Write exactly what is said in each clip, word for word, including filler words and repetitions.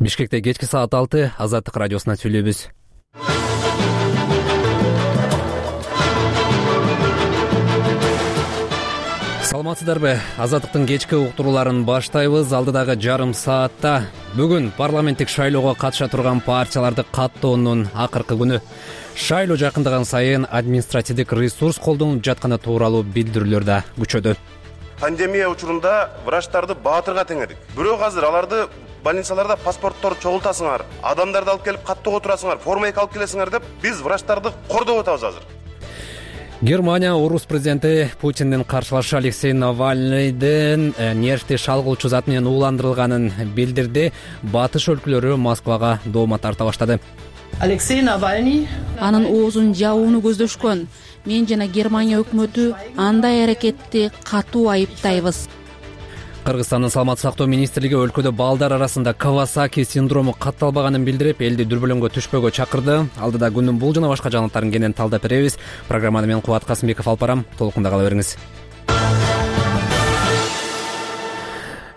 Бишкекте кечки саат алты Азаттык радиосунан сүйлөйбүз. Саламатсыздарбы? Азаттыктын кечки уктурууларын баштайбыз. Алдыдагы жарым саатта бүгүн парламенттик шайлоого катыша турган партияларды каттоонун акыркы күнү. Шайлоо жакындаган сайын административдик ресурс колдонуп жатканы тууралуу билдирүүлөр да күчөдө. Пандемия учурунда врачтарды баатырга теңедик. Бирок азыр аларды больницаларда паспортторду чогултасыңар, адамдарды алып келип каттоого турасыңар, форма эки алып келесиңер деп биз врачтарды кордоп атабыз азыр. Германия орус президенти Путиндин каршылашы Алексей Навальныйдын нервти шалгуучу зат менен ууландырылганын билдирди. Батыш өлкөлөрү Москвага доомат тарта баштады. Алексей Навальный анын оозун жабууну көздөшкөн. Мен жана Германия өкмөтү андай аракетти катуу айыптайбыз. Кыргызстандын саламаттык сактоо министрлиги өлкөдө балдар арасында Кавасаки синдрому катталбаганын билдирип, элди дүрбөлөңгө түшпөөгө чакырды. Алдыда күндүн бул жана башка жаңылыктарын кенен талдап беребиз. Программаны мен Кубат Касымбеков алып барам. Толкунда кала бериңиз.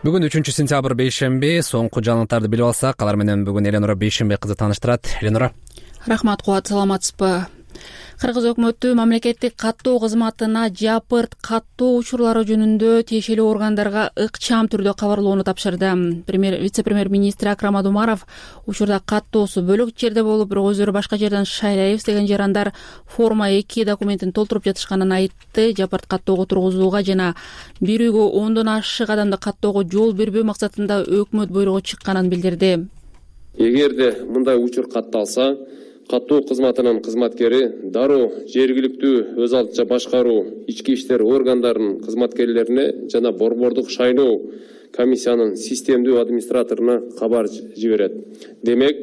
Бүгүн үчүнчү сентябрь бейшемби. Соңку жаңылыктарды билип алсак, алар менен бүгүн Эленора Бейшембек кызы тааныштырат. Эленора. Рахмат, Кубат, саламатсызбы? Кыргыз өкмөтү мамлекеттик каттоо кызматына жапырт каттоо учурлары жөнүндө тиешелүү органдарга ыкчам түрдө кабарлоону тапшырды. Премьер вице-премьер-министр Акрам Адумаров учурда каттоосу бөлөк жерде болуп, бирок өздөрү башка жерден шайлайбыз деген жарандар форма эки документин толтуруп жатышканын айтты. Жапырт каттоого тургузууга жана бир үйгө ондон ашык адамды каттоого жол бербөө максатында өкмөт буйругу чыкканын билдирди. Эгерде мындай учур катталса, каттоо кызматынын кызматкери дароо жергиликтүү өз алдынча башкаруу ички иштер органдарынын кызматкерлерине жана борбордук шайлоо комиссиянын системдүү администраторуна кабар жиберет. Демек,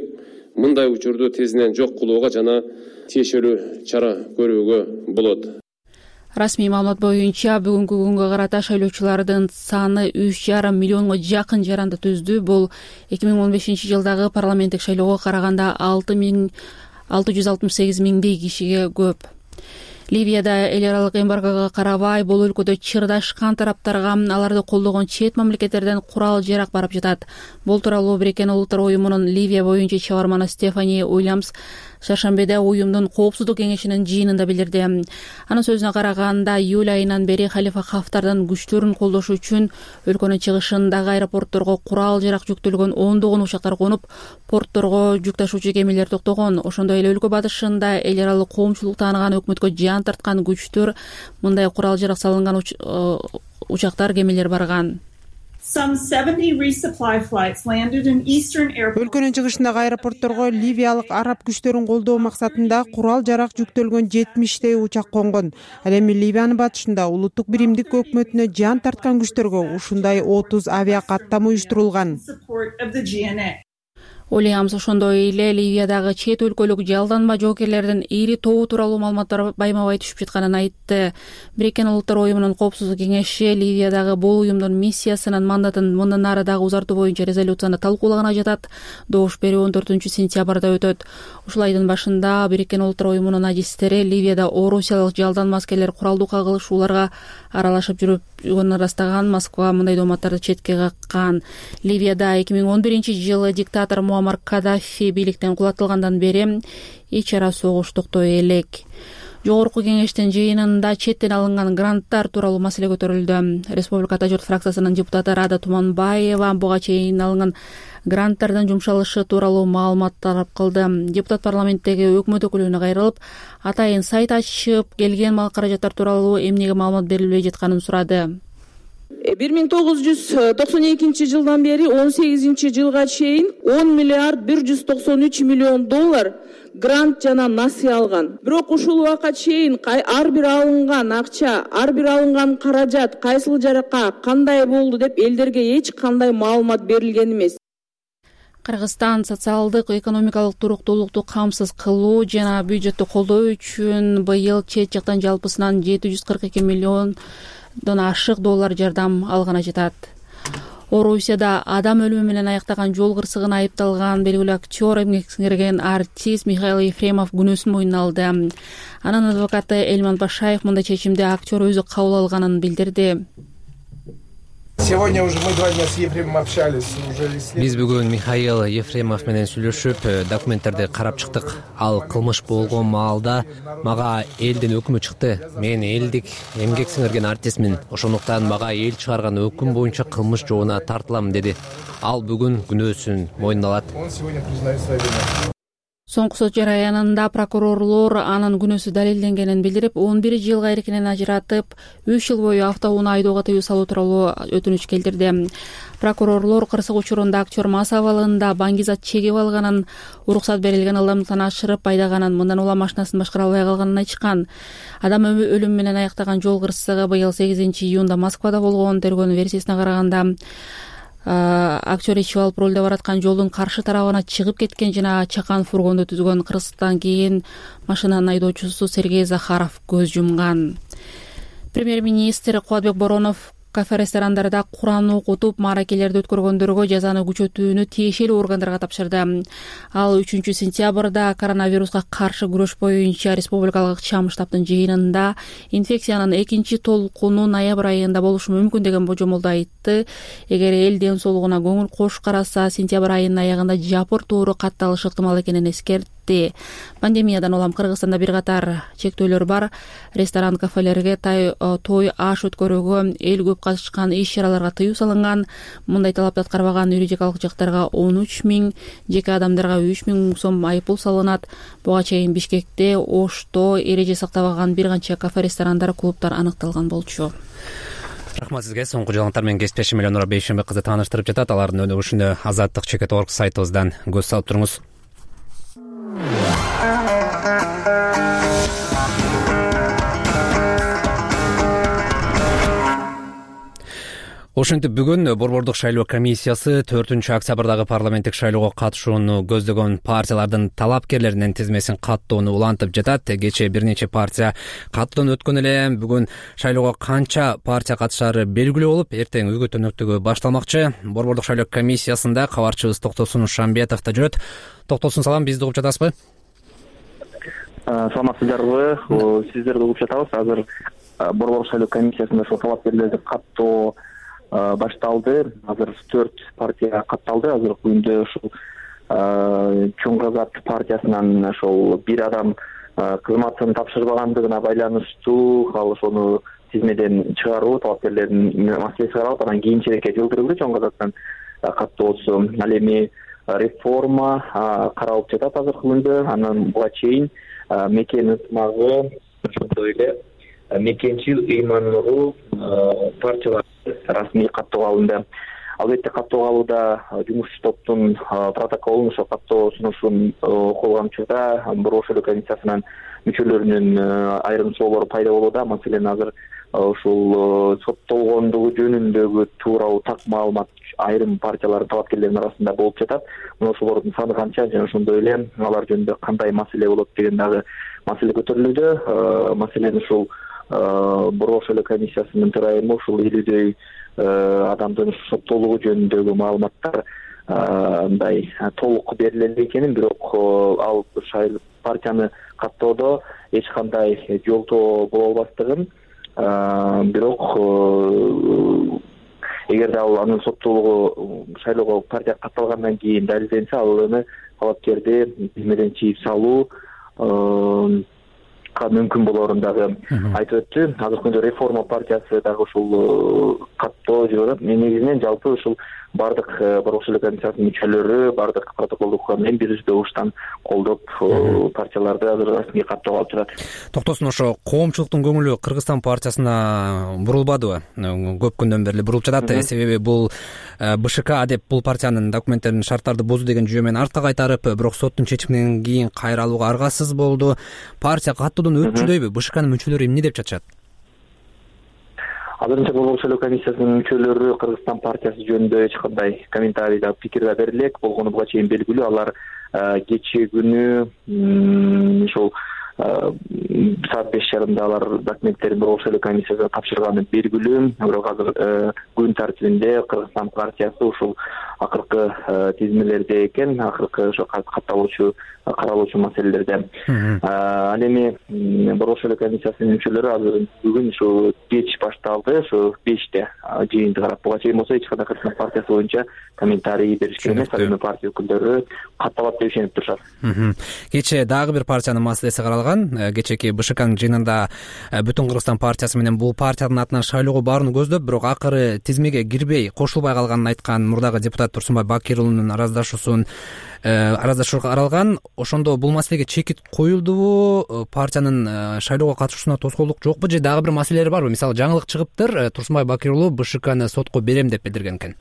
мындай учурду тезинен жок кылууга жана тиешелүү чара көрүүгө болот. Расмий маалымат боюнча бүгүнкү күнгө карата шайлоочулардын саны үч жарым миллионго жакын жаранды түздү. Бул эки миң он бешинчи жылдагы парламенттик шайлоого караганда алты жүз алтымыш сегиз миңдей кишиге көп. Ливияда эл аралык эмбаргого карабай, бул өлкөдө чырдашкан тараптарга аларды колдогон чет мамлекеттерден курал жарак барып жатат. Бул тууралуу Бириккен Улуттар уюмунун Ливия боюнча чыгарманы Стефани Уильямс шаршембиде уюмдун коопсуздук кеңешинин жыйынында билдирди. Анын сөзүнө караганда, июль айынан бери Халифа Хафтардын күчтөрүн колдош үчүн өлкөнүн чыгышындагы аэропортторго курал жарак жүктөлгөн ондогон учактар конуп, портторго жүк ташуучу кемелер токтогон. Ошондой эле өлкө батышында эл аралык коомчулук тааныган өкмөткө жан тарткан күчтөр, мындай курал жарак салынган учактар, кемелер барган. Өлкөнүн чыгышындагы аэропортторго ливиялык араб күчтөрүн колдоо максатында курал жарак жүктөлгөн жетимиштей учак конгон. Ал эми Ливиянын батышында улуттук биримдик өкмөтүнө жан тарткан күчтөргө ушундай отуз авиа каттам уюштурулган. Уильямс ошондой эле Ливиядагы чет өлкөлүк жалданма жоокерлердин ири тобу тууралуу маалыматтар байма-бай түшүп жатканын айтты. Бириккен Улуттар уюмунун коопсуздук кеңеши Ливиядагы бул уюмдун миссиясынын мандатын мындан ары дагы узартуу боюнча резолюцияны талкуулаганы жатат. Добуш берүү он төртүнчү сентябрда өтөт. Ушул айдын башында Бириккен Улуттар уюмунун адистери Ливияда орусиялык жалданма аскерлер куралдуу кагылышууларга аралашып жүрүпүн ырастаган. Москва мындай дооматтарды четке каккан. Ливияда эки миң он биринчи жылы диктатор Муаммар Каддафи бийликтен кулатылгандан бери ич ара согуш токтой элек. Жогорку кеңештин жыйынында четтен алынган гранттар тууралуу маселе көтөрүлдү. Республика Ата журт фракциясынын депутаты Рада Туманбаева буга чейин алынган гранттардын жумшалышы тууралуу маалымат талап кылды. Депутат парламенттеги өкмөт өкүлүнө кайрылып, атайын сайт ачып, келген мал каражаттар тууралуу эмнеге маалымат берилбей жатканын сурады. бир миң тогуз жүз токсон экинчи жылдан бери он сегизинчи жылга чейин он миллиард бир жүз токсон үч миллион доллар грант жана насыя алган. Бирок ушул убакка чейин ар бир алынган акча, ар бир алынган каражат кайсыл жака кандай болду деп элдерге эч кандай маалымат берилген эмес. Кыргызстан социалдык экономикалык туруктуулукту камсыз кылуу жана бюджеттти колдоо үчүн быйыл чет жактан жалпысынан жети жүз кырк эки миллиондон ашык доллар жардам алганы жатат. Орусияда адам өлүмү менен аяктаган жол кырсыгына айыпталган белгилүү актер, эмгек сиңирген артист Михаил Ефремов күнөөсүн мойнуна алды. Анын адвокаты Элман Пашаев мындай чечимди актер өзү кабыл алганын билдирди. Сегодня уже мы два дня с Ефремовым общались. Биз бүгүн Михаил Ефремов менен сүйлөшүп, документтерди карап чыктык. Ал кылмыш болгон маалда мага элдин өкүмү чыкты. Мен элдик эмгек сиңирген артистмин. Ошондуктан мага эл чыгарган өкүм боюнча кылмыш жообуна тартылам деди. Ал бүгүн күнөөсүн мойнуна алат. Он сегодня признает свою вину. Соңку сот жараянында прокурорлор анын күнөөсү далилденгенин билдирип, он бир жылга эркинен ажыратып, үч жыл бою автоунаа айдоого тыюу салуу тууралуу өтүнүч келтирди. Прокурорлор кырсык учурунда актер мас абалында баңгизат чегип алганын, уруксат берилген ылдамдыктан ашырып айдаганын, мындан улам машинасын башкара албай калганын айтышкан. Адам өлүмү менен аяктаган жол кырсыгы быйыл сегизинчи июнда Москвада болгон. Тергөөнүн версиясына караганда актер ичип алып рулде бараткан жолдун каршы тарабына чыгып кеткен жана чакан фургонду түзгөн. Кырсыктан кийин машинанын айдоочусу Сергей Захаров көз жумган. Премьер-министр Кубатбек Боронов кафе-ресторандарда Куран окутуп, мааракелерди өткөргөндөргө жазаны күчөтүүнү тиешелүү органдарга тапшырды. Ал үчүнчү сентябрда коронавируска каршы күрөш боюнча республикалык ыкчам штабтын жыйынында инфекциянын экинчи толкуну ноябрь айында болушу мүмкүн деген божомолду айтты. Эгер эл ден соолугуна көңүл кош караса, сентябрь айынын аягында жапыр тууру катталышы ыктымал экенин эскертти. Пандемиядан улам Кыргызстанда бир катар чектөөлөр бар. Ресторан, кафелерге, той, аш өткөрүүгө, эл көп катышкан иш-чараларга тыюу салынган. Мындай талапты аткарбаган юридикалык жактарга он үч миң, жеке адамдарга үч миң сом айыппул салынат. Буга чейин Бишкекте, Ошто эреже сактабаган бир канча кафе-ресторандар, клубтар аныкталган болчу. Рахмат сизге. Соңку жаңылыктар менен кесиптешим Элеонора Бейшенбек кызы тааныштырып жатат. Алардын өнүгүшүнө азаттык чекит орг сайтыбыздан көз салып туруңуз. Ошентип бүгүн Борбордук шайлоо комиссиясы төртүнчү октябрдагы парламенттик шайлоого катышууну көздөгөн партиялардын талапкерлеринин тизмесин каттоону улантып жатат. Кечээ бир нече партия каттоодон өткөн эле. Бүгүн шайлоого канча партия катышаары белгилүү болуп, эртең үгүт өнөктүгү башталмакчы. Борбордук шайлоо комиссиясында кабарчыбыз Токтосун Шамбетов да жүрөт. Токтосун, салам, бизди угуп жатасызбы? Саламатсыздарбы? Сиздерди угуп жатабыз. Азыр Борбордук шайлоо комиссиясында ошол талапкерлерди каттоо башталды. Азыр төрт партия катталды. Азыркы күндө ушул Чоң Казак партиясынан ошол бир адам кызматын тапшырбагандыгына байланыштуу ал ошону тизмеден чыгаруу, талапкерлердин маселеси каралып, анан кийинчерээкке жылдырылды Чоң Казактан каттоосу. Ал эми реформа каралып жатат азыркы күндө. Анан буга чейин мекен ынтымагы, ошондой эле мекенчил ыйман-нуру партиялар расмий каттоого алынды. Албетте каттоого алууда жумушчу топтун протоколун, ошо каттоо сунушун окулган учурда Борбордук шайлоо комиссиясынын мүчөлөрүнүн айрым суроолору пайда болууда. Маселен, азыр ушул соттолгондугу жөнүндөгү тууралуу так маалымат айрым партиялардын талапкерлеринин арасында болуп жатат. Мына ошолордун саны канча жана ошондой эле алар жөнүндө кандай маселе болот деген дагы маселе көтөрүлүүдө. Маселен, ушул Борбордук шайлоо комиссиясынын төрайымы ушул элүүдөй адамдын соттолугу жөнүндөгү маалыматтар мындай толук бериле экенин, бирок ал партияны каттоодо эч кандай жолтоо боло албастыгын, бирок эгерде ал анын соттолугу шайлоого партия катталгандан кийин далилденсе, ал эми талапкерди тизмеден чийип салуу мүмкүн болоорун дагы айтып өттү. Азыркы күндө реформа партиясы дагы ушул каттоо жүрүп атат. Негизинен жалпы ушул бардык Борбордук шайлоо комиссиясынын мүчөлөрү бардык протоколду укуган менен бир үздө уштан колдоп партияларды азыр расмий каттоого алып жатат. Токтосун, ошо коомчулуктун көңүлү Кыргызстан партиясына бурулбадыбы? Көп күндөн бери бурулуп жатат. Себеби бул БШК деп бул партиянын документтерин, шарттарды бузду деген жүйө менен артка кайтарып, бирок соттун чечиминен кийин кайра алууга аргасыз болду. Партия каттоодон өтчүдөйбү? БШКнын мүчөлөрү эмне деп чачат? Азырынча Борбордук шайлоо комиссиясынын мүчөлөрү Кыргызстан партиясы жөнүндө эч кандай комментарий да пикир да берилек болгону буга чейин белгилүү. Алар кечээ күнү ушул саат беш жарымда алар документтерин борбор шайлоо комиссиясына тапшырганы белгилүү. Бирок азыр күн тартибинде Кыргызстан партиясы ушул акыркы тизмелерде экен, акыркы ошо катталуучу каралуучу маселелерде. Ал эми борбор шайлоо комиссиясынын мүчөлөрү азыр бүгүн ушу кеч башталды, ошо беште жыйынды карап, буга чейин болсо эч кандай Кыргызстан партиясы боюнча комментарий беришкен эмес. Ал эми партия өкүлдөрү катталат деп ишенип турушат. Кечээ дагы бир партиянын маселеси каралган. Кечээки БШКнын жыйынында Бүтүн Кыргызстан партиясы менен бул партиянын атынан шайлоого барууну көздөп, бирок акыры тизмеге кирбей кошулбай калганын айткан мурдагы депутат Турсунбай Бакир уулунун араздашуусун араздашууга каралган. Ошондо бул маселеге чекит коюлдубу? Партиянын шайлоого катышуусуна тоскоолдук жокпу же дагы бир маселелер барбы? Мисалы, жаңылык чыгыптыр, Турсунбай Бакир уулу БШКны сотко берем деп билдирген экен.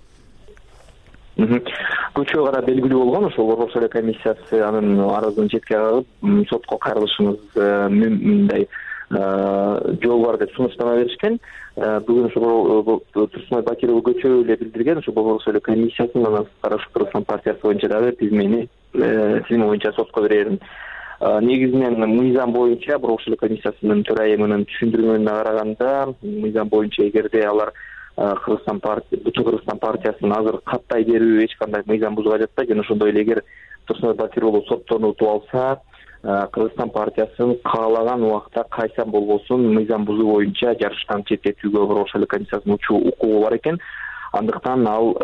Көчөгө карап белгилүү болгон, ошол борбор шайлоо комиссиясы анын арызын четке кагып, сотко кайрылышыңыз мындай жол бар деп сунуштама беришкен. Бүгүн ошо Турсунбай Бакир уулу көчөгө эле билдирген, ошо борбор шайлоо комиссиясынын анан Кыргызстан партиясы боюнча дагы тизмени тизме боюнча сотко берерин. Негизинен мыйзам боюнча борбор шайлоо комиссиясынын төрайымынын түшүндүрмөгүнө караганда, мыйзам боюнча эгерде алар Кыргызстан партия, Бүтүн Кыргызстан партиясынын азыр каттай берүү эч кандай мыйзам бузууга жатпайт. Жана ошондой эле эгер Турсунбай Бакир уулу соттон утуп алса, Кыргызстан партиясын каалаган убакта кайсан болбосун мыйзам бузуу боюнча жарыштан четтетүүгө борбор шайлоо комиссиясынын укугу бар экен. Андыктан ал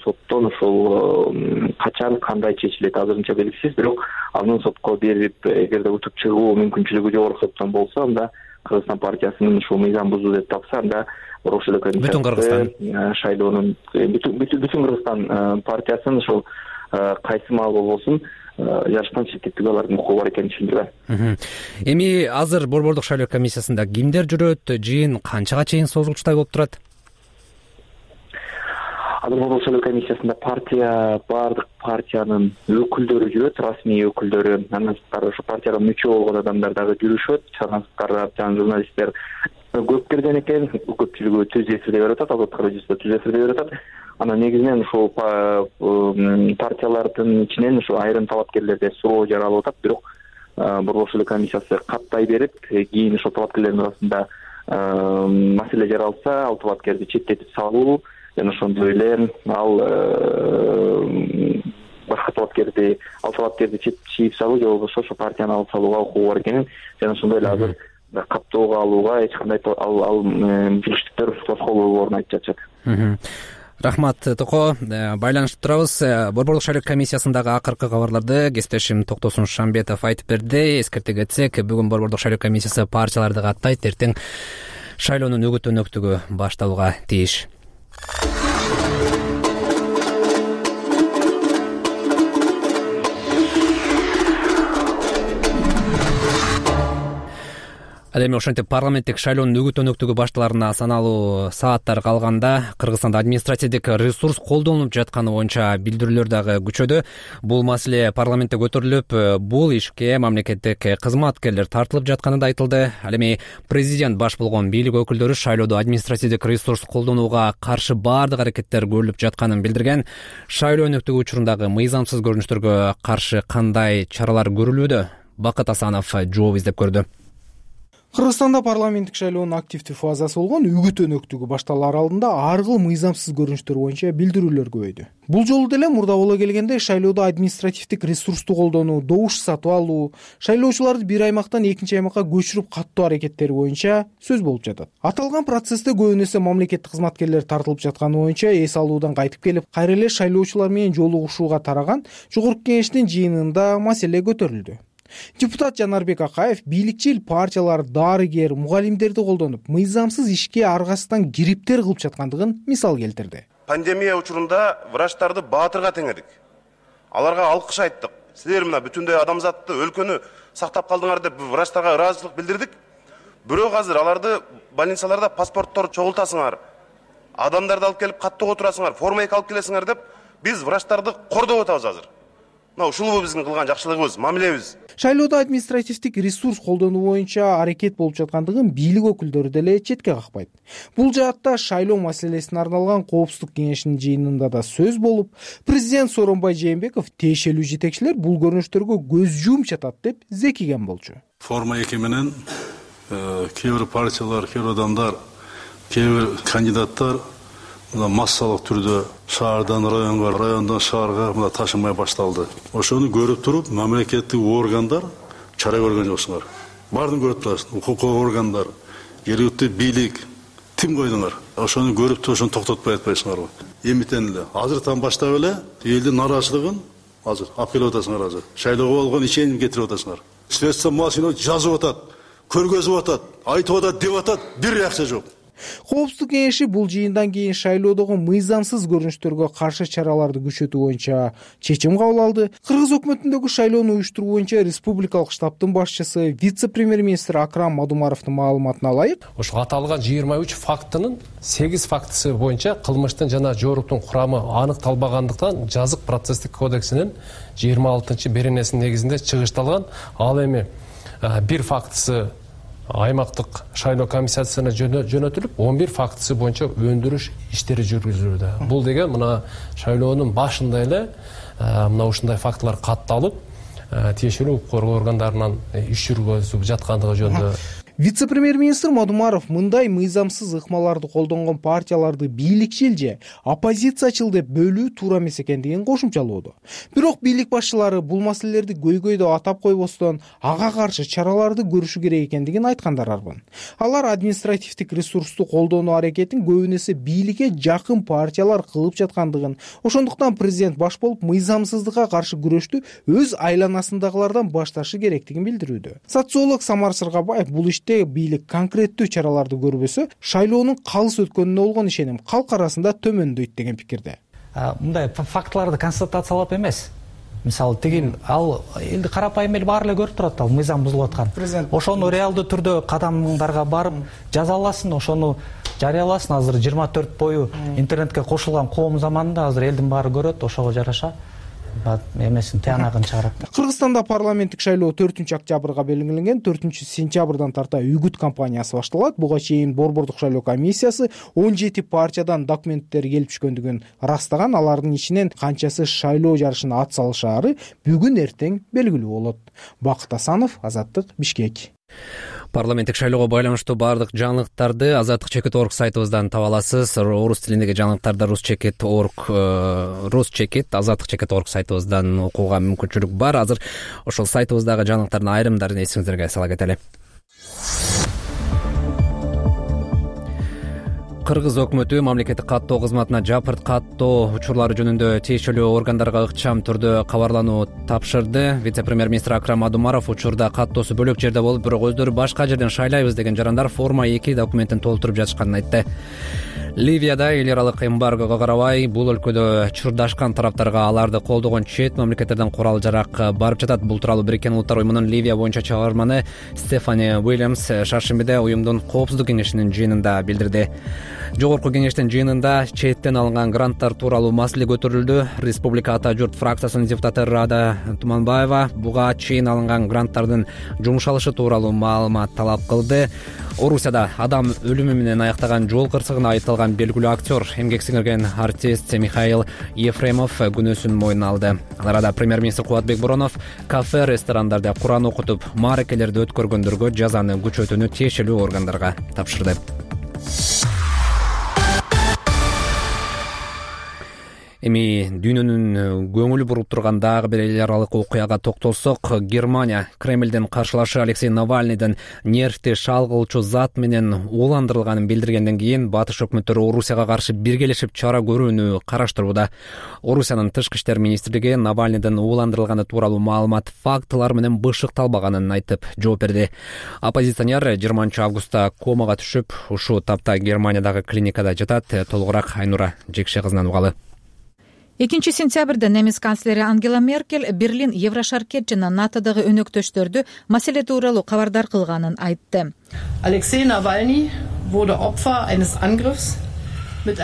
соттон ошол качан кандай чечилет азырынча белгисиз, бирок анын сотко берип, эгерде утуп чыгуу мүмкүнчүлүгү жогорку соттон болсо, анда Кыргызстан партиясынын ушул мыйзам бузуу деп тапса, анда борбор шайлоо комиссиясы Бүтүн Кыргызстан шайлоонун Бүтүн Кыргызстан партиясынын ошол кайсы маал болбосун жарыштан четтетүүгө алардын укугу бар экенин түшүндүргөн. Эми азыр борбордук шайлоо комиссиясында кимдер жүрөт? Жыйын канчага чейин созулчутай болуп турат? Азыр борбор шайлоо комиссиясында партия, баардык партиянын өкүлдөрү жүрөт, расмий өкүлдөрү. Андан сырткары ошо партияга мүчө болгон адамдар дагы жүрүшөт. Андан сырткары жана журналисттер көп келген экен, көпчүлүгү түз эфирде берип атат, Азаттык радиосунда түз эфирде берип атат. Анан негизинен ушул партиялардын ичинен ушу айрым талапкерлерде суроо жаралып атат, бирок борбор шайлоо комиссиясы каттай берип, кийин ошол талапкерлердин арасында маселе жаралса, ал талапкерди четтетип салуу, жана ошондой эле ал башка талапкерди, ал талапкерди чийип салуу же болбосо ошо партияны алып салууга укугу бар экенин, жана ошондой эле азыр каттоого алууга эч кандай ал ал билиштиктер тоскоолдорун айтып жатышат. Рахмат Токо, байланышып турабыз. Борбордук шайлоо комиссиясындагы акыркы кабарларды кесиптешим Токтосун Шамбетов айтып берди. Эскерте кетсек, бүгүн борбордук шайлоо комиссиясы партияларды каттайт, эртең шайлоонун үгүт өнөктүгү башталууга тийиш. Ал эми ошентип парламенттик шайлоонун үгүт өнөктүгү башталарына саналуу сааттар калганда Кыргызстанда административдик ресурс колдонулуп жатканы боюнча билдирүүлөр дагы күчөдө. Бул маселе парламентте көтөрүлүп, бул ишке мамлекеттик кызматкерлер тартылып жатканы да айтылды. Ал эми президент баш болгон бийлик өкүлдөрү шайлоодо административдик ресурс колдонууга каршы баардык аракеттер көрүлүп жатканын билдирген. Шайлоо өнөктүгү учурундагы мыйзамсыз көрүнүштөргө каршы кандай чаралар көрүлүүдө? Бакыт Асанов жооп издеп көрдү. Кыргызстанда парламенттик шайлоонун активдүү фазасы болгон үгүт өнөктүгү башталар алдында ар кыл мыйзамсыз көрүнүштөр боюнча билдирүүлөр көбөйдү. Бул жолу деле мурда боло келгенде шайлоодо административдик ресурсту колдонуу, добуш сатып алуу, шайлоочуларды бир аймактан экинчи аймакка көчүрүп каттоо аракеттери боюнча сөз болуп жатат. Аталган процессте көбүн эсе мамлекеттик кызматкерлер тартылып жатканы боюнча эс алуудан кайтып келип, кайра эле шайлоочулар менен жолугушууга тараган Жогорку Кеңештин жыйынында маселе көтөрүлдү. Депутат Жанарбек Акаев бийликчил партиялар дарыгер, мугалимдерди колдонуп, мыйзамсыз ишке аргасыздан кириптер кылып жаткандыгын мисал келтирди. Пандемия учурунда врачтарды баатырга теңедик. Аларга алкыш айттык. Силер мына бүтүндөй адамзатты, өлкөнү сактап калдыңар деп врачтарга ыраазычылык билдирдик. Бирок азыр аларды больницаларда паспорттор чогултасыңар, адамдарды алып келип каттоого турасыңар, форма алып келесиңер деп биз врачтарды кордоп атабыз азыр. Мына ушул биздин кылган жакшылыгыбыз, мамилебиз. Шайлоодо административдик ресурс колдонуу боюнча аракет болуп жаткандыгын бийлик өкүлдөрү деле четке какпайт. Бул жаатта шайлоо маселесине арналган Коопсуздук кеңешинин жыйынында да сөз болуп, президент Сооронбай Жээнбеков тиешелүү жетекчилер бул көрүнүштөргө көз жумуп жатат деп зекиген болчу. форма эки менен кээ бир партиялар, кээ бир адамдар, кээ бир кандидаттар мына массалык түрдө шаардан районго, райондон шаарга мына ташымай башталды. Ошону көрүп туруп, мамлекеттик органдар чара көргөн жоксуңар. Баарын көрүп турасың, укук органдар, жергиликтүү бийлик тим койдуңар. Ошону көрүп туруп, ошону токтотпой атпайсыңарбы? Эмитен эле азыртан баштап эле элдин нааразычылыгын азыр алып келип атасыңар. Азыр шайлоого болгон ишенимди кетирип атасыңар. Средства массового жазып атат, көргөзүп атат, айтып атат, деп атат, бир реакция жок. Коопсуздук кеңеши бул жыйындан кийин шайлоодогу мыйзамсыз көрүнүштөргө каршы чараларды күчөтүү боюнча чечим кабыл алды. Кыргыз өкмөтүндөгү шайлоону уюштуруу боюнча республикалык штабтын башчысы вице-премьер-министр Акрам Мадумаровдун маалыматына ылайык, ошо аталган жыйырма үч фактынын сегиз фактысы боюнча кылмыштын жана жооруктун курамы аныкталбагандыктан жазык процесстик кодексинин жыйырма алтынчы беренесинин негизинде чыгышталган. Ал эми бир фактысы аймактык шайлоо комиссиясына жөнөтүлүп, он бир фактысы боюнча өндүрүш иштери жүргүзүлүүдө. Бул деген мына шайлоонун башында эле мына ушундай фактылар катталып, тиешелүү укук коргоо органдарынан иш жүргүзүп жаткандыгы жөнүндө. Вице-премьер-министр Мадумаров мындай мыйзамсыз ыкмаларды колдонгон партияларды бийликчил же оппозициячыл деп бөлүү туура эмес экендигин кошумчалоодо. Бирок бийлик башчылары бул маселелерди көйгөйдө атап койбостон ага каршы чараларды көрүшү керек экендигин айткандар арбын. Алар административдик ресурсту колдонуу аракетин көбүн эсе бийликке жакын партиялар кылып жаткандыгын, ошондуктан президент баш болуп мыйзамсыздыкка каршы күрөштү өз айланасындагылардан башташы керектигин билдирүүдө. Социолог Самар Сыргабаев бул бийлик конкреттүү чараларды көрбөсө, шайлоонун калыс өткөнүнө болгон ишеним калк арасында төмөндөйт деген пикирде. Мындай фактыларды констатациялап эмес. Мисалы, тигил ал элди карапайым эл баары эле көрүп турат, ал мыйзам бузулуп аткан. Ошону реалдуу түрдө кадамдарга барып жазаласын, ошону жарыяласын. Азыр жыйырма төрт бою интернетке кошулган коом заманында азыр элдин баары көрөт, ошого жараша эмесин тыянагын чыгарат. Кыргызстанда парламенттик шайлоо төртүнчү октябрга белгиленген. төртүнчү сентябрдан тарта үгүт кампаниясы башталат. Буга чейин Борбордук шайлоо комиссиясы он жети партиядан документтер келип түшкөндүгүн ырастаган. Алардын ичинен канчасы шайлоо жарышына ат салышаары бүгүн эртең белгилүү болот. Бакыт Асанов, Азаттык, Бишкек. Парламенттик шайлоого байланыштуу баардык жаңылыктарды азаттык чекит точка орг сайтыбыздан таба аласыз. Орус тилиндеги жаңылыктарды рус чекит точка орг, рус чекит азаттык чекит точка орг сайтыбыздан окууга мүмкүнчүлүк бар. Азыр ошол сайтыбыздагы жаңылыктардын айрымдарын эсиңиздерге сала кетели. Кыргыз өкмөтү мамлекеттик каттоо кызматына жапырт каттоо учурлары жөнүндө тиешелүү органдарга ыкчам түрдө кабарлануу тапшырды. Вице-премьер-министр Акрам Мадумаров учурда каттоосу бөлөк жерде болуп, бирок өздөрү башка жерден шайлайбыз деген жарандар форма эки документин толтуруп жатышканын айтты. Ливияда эл аралык эмбаргого карабай бул өлкөдө чурдашкан тараптарга аларды колдогон чет мамлекеттерден курал жарак барып жатат. Бул тууралуу Бириккен Улуттар уюмунун Ливия боюнча чыгарманы Стефани Уильямс шаршембиде уюмдун коопсуздук кеңешинин жыйынында билдирди. Жогорку кеңештин жыйынында четтен алынган гранттар тууралуу маселе көтөрүлдү. Республика Ата журт фракциясынын депутаты Рада Туманбаева буга чейин алынган гранттардын жумшалышы тууралуу маалымат талап кылды. Орусияда адам өлүмү менен аяктаган жол кырсыгына айыпталган белгилүү актер, эмгек сиңирген артист Михаил Ефремов күнөөсүн мойнуна алды. Ал арада премьер-министр Кубатбек Боронов кафе, ресторандарда Куран окутуп, мааракелерди өткөргөндөргө жазаны күчөтүүнү тиешелүү органдарга тапшырды. Эми дүйнөнүн көңүлү буруп турган дагы бир эл аралык окуяга токтолсок, Германия Кремлдин каршылашы Алексей Навальныйдын нервти шалгылчу зат менен ууландырылганын билдиргенден кийин батыш өкмөттөрү Орусияга каршы биргелешип чара көрүүнү караштырууда. Орусиянын тышкы иштер министрлиги Навальныйдын ууландырылганы тууралуу маалымат фактылар менен бышыкталбаганын айтып жооп берди. Оппозиционер жыйырманчы августта комага түшүп, ушул тапта Германиядагы клиникада жатат. Толугураак Айнура Жекше кызынан угалы. экинчи сентябрда немис канцлери Ангела Меркель Берлин, Еврошаркет жана НАТОдогу өнөктөштөрдү маселе тууралуу кабардар кылганын айтты. Алексей Навальный wurde Opfer eines Angriffs.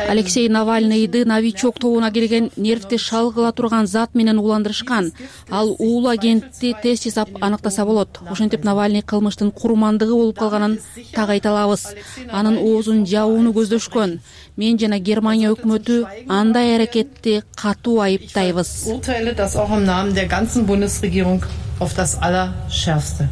Алексей Навальныйды новичок тобуна келген нервти шалгыла турган зат менен ууландырышкан. Ал уул агентти тест жасап аныктаса болот. Ошентип Навальный кылмыштын курмандыгы болуп калганын так айта алабыз. Анын оозун жабууну көздөшкөн. Мен жана Германия өкмөтү андай аракетти катуу айыптайбыз. Urteile das auch im Namen der ganzen Bundesregierung auf das allerschärfste.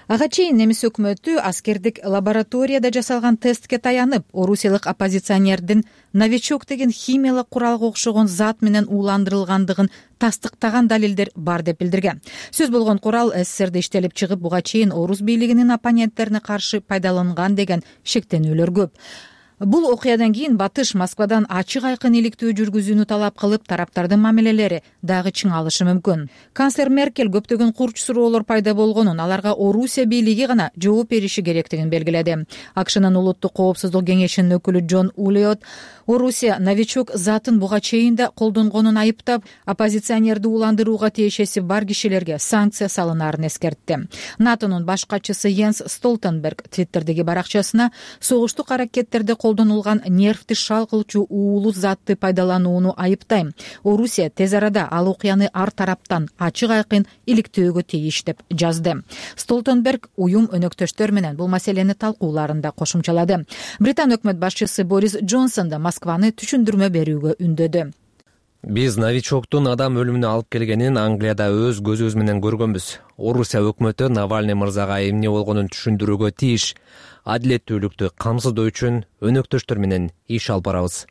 Ага чейин немис өкмөтү аскердик лабораторияда жасалган тестке таянып, орусиялык оппозиционердин новичок деген химиялык куралга окшогон зат менен ууландырылгандыгын тастыктаган далилдер бар деп билдирген. Сөз болгон курал СССРде иштелип чыгып, буга чейин орус бийлигинин оппоненттерине каршы пайдаланган деген шектенүүлөр көп. Бул окуядан кийин Батыш Москвадан ачык айкын иликтөө жүргүзүүнү талап кылып, тараптардын мамилелери дагы чыңалышы мүмкүн. Канцлер Меркель көптөгөн курч суроолор пайда болгонун, аларга Орусия бийлиги гана жооп бериши керектигин белгиледи. АКШнын улуттук коопсуздук кеңешинин өкүлү Джон Улиот Орусия новичок затын буга чейин да колдонгонун айыптап, оппозиционерди ууландырууга тиешеси бар кишилерге санкция салынаарын эскертти. НАТОнун баш катчысы Йенс Столтенберг Твиттердеги баракчасына согуштук аракеттерде колдонулган нервти шал кылчу уулуу затты пайдаланууну айыптайм. Орусия тез арада ал окуяны ар тараптан ачык айкын иликтөөгө тийиш деп жазды. Столтенберг уюм өнөктөштөр менен бул маселени талкууларында кошумчалады. Британ өкмөт башчысы Борис Джонсон да Москваны түшүндүрмө берүүгө үндөдү. Биз новичоктун адам өлүмүнө алып келгенин Англияда өз көзүбүз менен көргөнбүз. Орусия өкмөтү Навальный мырзага эмне болгонун түшүндүрүүгө тийиш. Адилеттүүлүктү камсыздоо үчүн өнөктөштөр менен иш алып барабыз,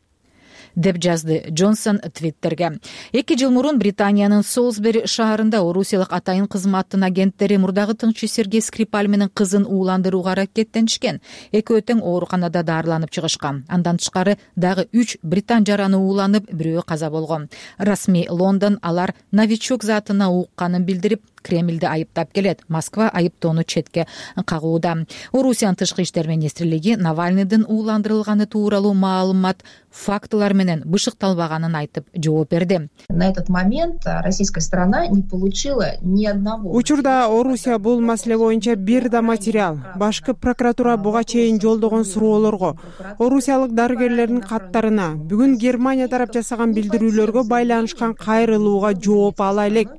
деп жазды Джонсон Твиттерге. Эки жыл мурун Британиянын Солсбери шаарында орусиялык атайын кызматтын агенттери мурдагы тыңчы Сергей Скрипаль менен кызын ууландырууга аракеттенишкен. Экөө тең ооруканада даарыланып чыгышкан. Андан тышкары дагы үч британ жараны ууланып, бирөө каза болгон. Расмий Лондон алар новичок затына укканын билдирип, Кремльди айыптап келет. Москва айыптоону четке кагууда. Орусиянын тышкы иштер министрлиги Навальныйдын ууландырылганы тууралуу маалымат фактылар менен бышыкталбаганын айтып жооп берди. На этот момент российская сторона не получила ни одного. Учурда Орусия бул маселе боюнча бир да материал. Башкы прокуратура буга чейин жолдогон суроолорго, орусиялык дарыгерлердин каттарына, бүгүн Германия тарап жасаган билдирүүлөргө байланышкан кайрылууга жооп ала элек.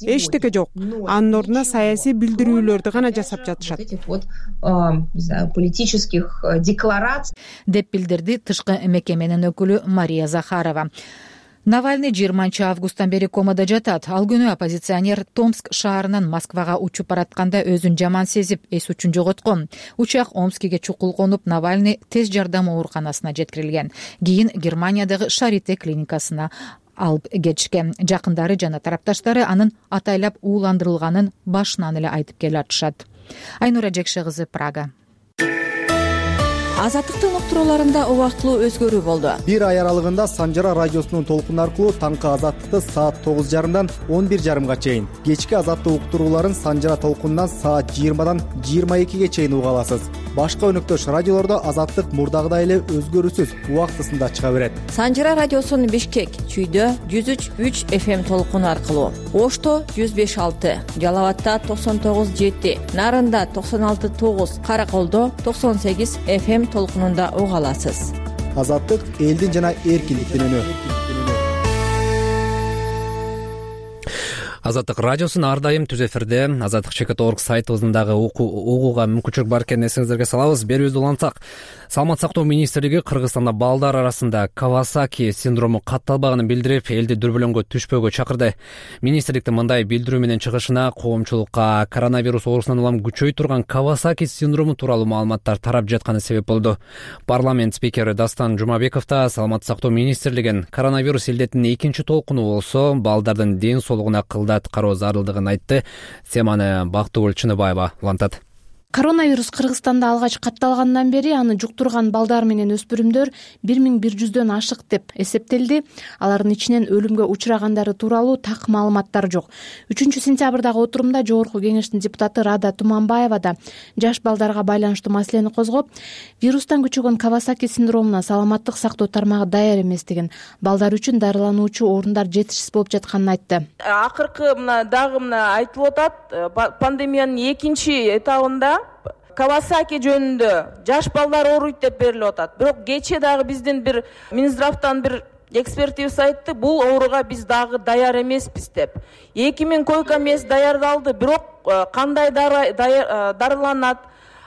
Эчтеке жок. Анын ордуна саясий билдирүүлөрдү гана жасап жатышат. Политических деклараций деп билдирди тышкы мекеменин өкүлү Мария Захарова. Навальный жыйырманчы августтан бери комада жатат. Ал күнү оппозиционер Томск шаарынан Москвага учуп баратканда өзүн жаман сезип, эс учун жоготкон. Учак Омскиге чукул конуп, Навальный тез жардам ооруканасына жеткирилген. Кийин Германиядагы Шарите клиникасына алып кетишкен. Жакындары жана тарапташтары анын атайлап ууландырылганын башынан эле айтып келатышат. Айнура Жекше кызы, Прага. Азаттыктын уктурууларында убактылуу өзгөрүү болду. Бир ай аралыгында Санжара радиосунун толкуну аркылуу таңкы азаттыкты саат тогуз жарымдан он бир жарымга чейин, кечки азаттык уктурууларын Санжара толкунунан саат жыйырмадан жыйырма экиге чейин уга аласыз. Башка өнөктөш радиолордо азаттык мурдагыдай эле өзгөрүүсүз убактысында чыга берет. Санжара радиосунун Бишкек, Чүйдө жүз үч үч эф эм толкуну аркылуу, Ошто жүз беш алты, Жалал-Абадта токсон тогуз жети, Нарында токсон алты тогуз, Караколдо токсон сегиз эф эм толкунунда уга аласыз. Азаттык элдин жана эркиндиктин үнү. Азаттык радиосун ар дайым түз эфирде. Азаттык чекит точка орг сайтыбыздын дагы угууга мүмкүнчүлүк бар экенин эсиңиздерге салабыз. Берүүбүздү улантсак, Саламат сактоо министрлиги Кыргызстанда балдар арасында Кавасаки синдрому катталбаганын билдирип, элди дүрбөлөңгө түшпөөгө чакырды. Министрликтин мындай билдирүү менен чыгышына коомчулукка коронавирус оорусунан улам күчөй турган Кавасаки синдрому тууралуу маалыматтар тарап жатканы себеп болду. Парламент спикери Дастан Жумабеков да Саламат сактоо министрлигин коронавирус илдетинин экинчи толкуну болсо, балдардын ден соолугуна кылдат кароо зарылдыгын айтты. Теманы Бактыгүл Чыныбаева улантат. Коронавирус Кыргызстанда алгач катталгандан бери аны жуктурган балдар менен өспүрүмдөр бир миң бир жүздөн ашык деп эсептелди. Алардын ичинен өлүмгө учурагандары тууралуу так маалыматтар жок. үчүнчү сентябрдагы отурумда Жогорку кеңештин депутаты Рада Туманбаева да жаш балдарга байланыштуу маселени козгоп, вирустан күчөгөн Кавасаки синдромуна саламаттык сактоо тармагы даяр эместигин, балдар үчүн дарылануучу орундар жетишсиз болуп жатканын айтты. Акыркы мына дагы мына айтылып атат, пандемиянын экинчи этабында Кавасаки жөнүндө жаш балдар ооруйт деп берилип атат. Бирок кечээ дагы биздин бир Минздравтан бир экспертибиз айтты, бул ооруга биз дагы даяр эмеспиз деп. эки миң койка мест даярдалды, бирок кандай дарыланат,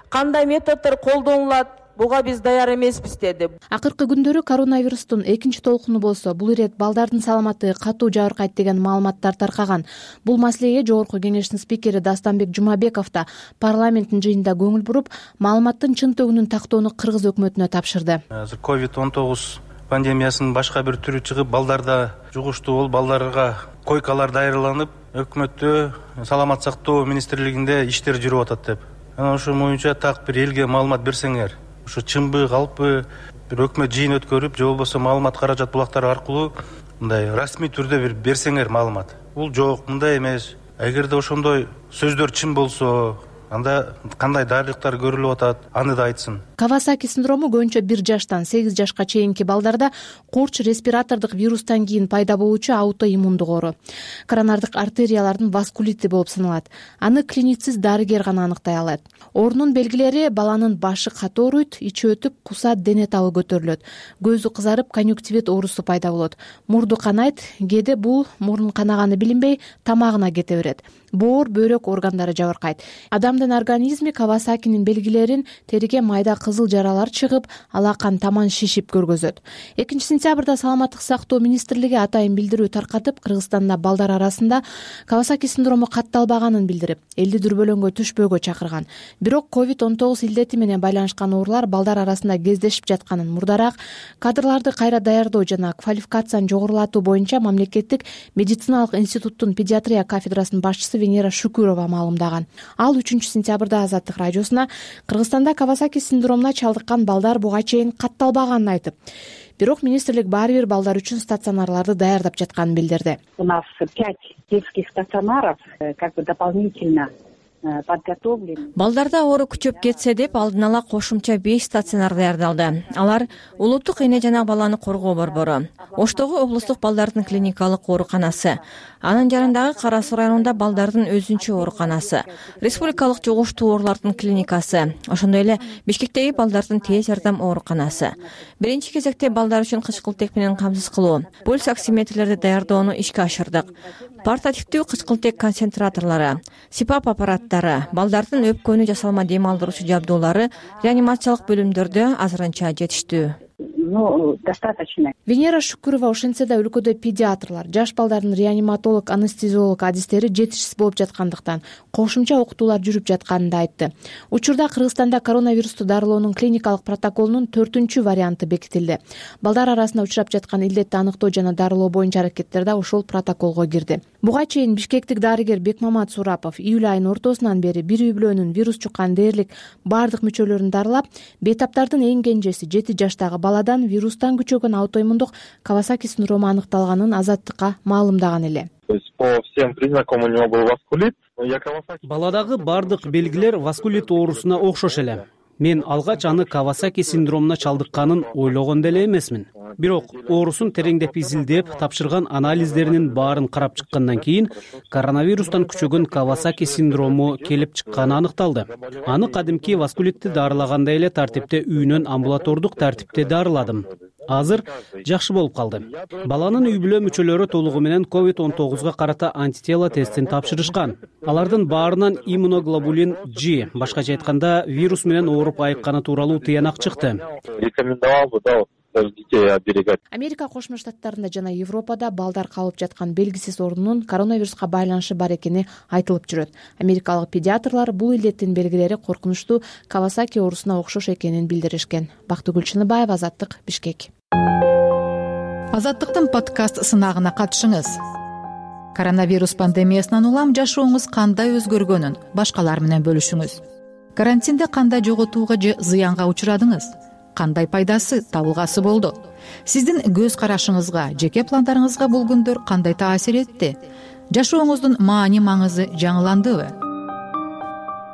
кандай методдор колдонулат, буга биз даяр эмеспиз деди. Акыркы күндөрү коронавирустун экинчи толкуну болсо бул ирет балдардын саламаты катуу жабыркайт деген маалыматтар таркаган. Бул маселеге жогорку кеңештин спикери Дастанбек Жумабеков да парламенттин жыйынында көңүл буруп, маалыматтын чын төгүнүн тактоону кыргыз өкмөтүнө тапшырды. Азыр ковид он тогуз пандемиясынын башка бир түрү чыгып, балдарда жугуштуу болуп, балдарга койкалар даярдаланып, өкмөттө саламат сактоо министрлигинде иштер жүрүп атат деп. Анан ошо боюнча так бир элге маалымат берсеңер, ошо чынбы, калппы бир өкмөт жыйын өткөрүп, же болбосо маалымат каражат булактары аркылуу мындай расмий түрдө бир берсеңер маалымат. Бул жок, мындай эмес. Эгерде ошондой сөздөр чын болсо, анда кандай дарылыктар көрүлүп атат, аны да айтсын. Кавасаки синдрому көбүнчө бир жаштан сегиз жашка чейинки балдарда курч респиратордук вирустан кийин пайда болуучу аутоиммундук оору. Коронардык артериялардын васкулити болуп саналат. Аны клиницист дарыгер гана аныктай алат. Оорунун белгилери: баланын башы катуу ооруйт, ичи өтүп, кусат, дене табы көтөрүлөт, көзү кызарып, конъюнктивит оорусу пайда болот, мурду канайт, кээде бул мурун канаганы билинбей тамагына кете берет, боор, бөйрөк органдары жабыркайт. Адамдын организми Кавасакинин белгилерин териге майда кызыл жаралар чыгып, алакан таман шишип көргөзөт. экинчи сентябрда Саламаттык сактоо министрлиги атайын билдирүү таркатып, Кыргызстанда балдар арасында Кавасаки синдрому катталбаганын билдирип, элди дүрбөлөңгө түшпөөгө чакырган. Бирок ковид он тогуз илдети менен байланышкан оорулар балдар арасында кездешип жатканын, мурдараак кадрларды кайра даярдоо жана квалификацияны жогорулатуу боюнча Мамлекеттик медициналык институттун педиатрия кафедрасынын башчысы Венера Шукурова маалымдаган. Ал үчүнчү сентябрда Азаттык радиосуна Кыргызстанда Кавасаки синдромуна чалдыккан балдар буга чейин катталбаганын айтып, бирок министрлик баары бир балдар үчүн стационарларды даярдап жатканын билдирди. У нас пять детских стационаров, как бы дополнительно подготовлены. Балдарда оору күчөп кетсе деп алдын ала кошумча беш стационар даярдалды. Алар Улуттук эне жана баланы коргоо борбору, Оштогу облустук балдардын клиникалык ооруканасы, анын жарандагы Кара Суу районунда балдардын өзүнчө ооруканасы, республикалык жугуштуу оорулардын клиникасы, ошондой эле Бишкектеги балдардын тез жардам ооруканасы. Биринчи кезекте балдар үчүн кычкылтек менен камсыз кылуу, пульс оксиметрлерди даярдоону ишке ашырдык. Портативдүү кычкылтек концентраторлору, сипап аппараттары, балдардын өпкөнү жасалма дем алдыруучу жабдуулары реанимациялык бөлүмдөрдө азырынча жетиштүү. Ну, достаточно. Венера Шукурова ошентсе да өлкөдө педиатрлар, жаш балдардын реаниматолог, анестезиолог адистери жетишсиз болуп жаткандыктан кошумча окутуулар жүрүп жатканын да айтты. Учурда Кыргызстанда коронавирусту дарылоонун клиникалык протоколунун төртүнчү варианты бекитилди. Балдар арасында учурап жаткан илдетти аныктоо жана дарылоо боюнча аракеттер да ошол протоколго кирди. Буга чейин бишкектик дарыгер Бекмамат Сурапов июль айынын ортосунан бери бир үй бүлөнүн вирус жуккан дээрлик бардык мүчөлөрүн дарылап, бейтаптардын эң кенжеси жети жаштагы баладан вирустан күчөгөн аутоиммундук Кавасаки синдрому аныкталганын Азаттыкка маалымдаган эле. По всем признакам у него был васкулит. Баладагы бардык белгилер васкулит оорусуна окшош эле. Мен алгач аны Кавасаки синдромуна чалдыкканын ойлогон деле эмесмин. Бирок оорусун тереңдеп изилдеп, тапшырган анализдеринин баарын карап чыккандан кийин коронавирустан күчөгөн Кавасаки синдрому келип чыкканы аныкталды. Аны кадимки васкулитти дарылагандай эле тартипте үйүнөн амбулатордук тартипте дарыладым. Азыр жакшы болуп калды. Баланын үй бүлө мүчөлөрү толугу менен ковид он тогузга карата антитела тестин тапшырышкан. Алардын баарынан иммуноглобулин G, башкача айтканда вирус менен ооруп айыкканы тууралуу тыянак чыкты. Рекомендовал бы, да, детей оберегать. Америка Кошмо Штаттарында жана Европада балдар калып жаткан белгисиз оорунун коронавируска байланышы бар экени айтылып жүрөт. Америкалык педиатрлар бул илдеттин белгилери коркунучтуу Кавасаки оорусуна окшош экенин билдиришкен. Бактыгүл Чыныбаева, Азаттык, Бишкек. Азаттыктын подкаст сынагына катышыңыз. Коронавирус пандемиясынан улам жашооңуз кандай өзгөргөнүн башкалар менен бөлүшүңүз. Карантинде кандай жоготууга же зыянга учурадыңыз? Кандай пайдасы, табылгасы болду? Сиздин көз карашыңызга, жеке пландарыңызга бул күндөр кандай таасир этти? Жашооңуздун маани маңызы жаңыландыбы?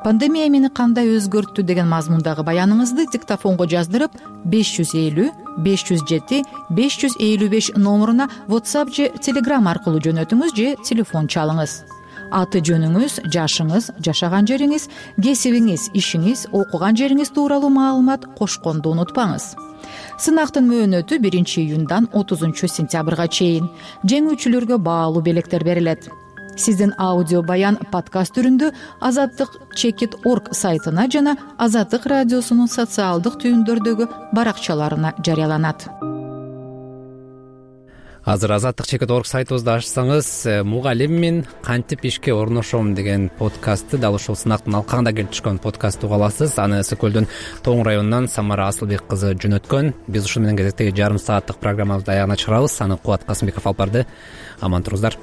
Пандемия мени кандай өзгөрттү деген мазмундагы баяныңызды диктофонго жаздырып беш жүз элүү беш жүз жети беш жүз элүү беш номуруна WhatsApp же Telegram аркылуу жөнөтүңүз же телефон чалыңыз. Аты жөнүңүз, жашыңыз, жашаган жериңиз, кесибиңиз, ишиңиз, окуган жериңиз тууралуу маалымат кошконду унутпаңыз. Сынактын мөөнөтү биринчи июндан отузунчу сентябрга чейин. Жеңүүчүлөргө баалуу белектер берилет. сиздин аудио баян подкаст түрүндө азаттык чекит орг сайтына жана Азаттык радиосунун социалдык түйүндөрдөгү баракчаларына жарыяланат. Азыр азаттык чекит орг сайтыбызды ачсаңыз, мугалиммин кантип ишке орношом деген подкастты дал ушул сынактын алкагында келип түшкөн подкастты уга аласыз. Аны ысык көлдүн Тоң районунан Самара Асылбек кызы жөнөткөн. Биз ушун менен кезектеги жарым сааттык программабызды аягына чыгарабыз. Аны Кубат Касымбеков алып барды. Аман туруңуздар.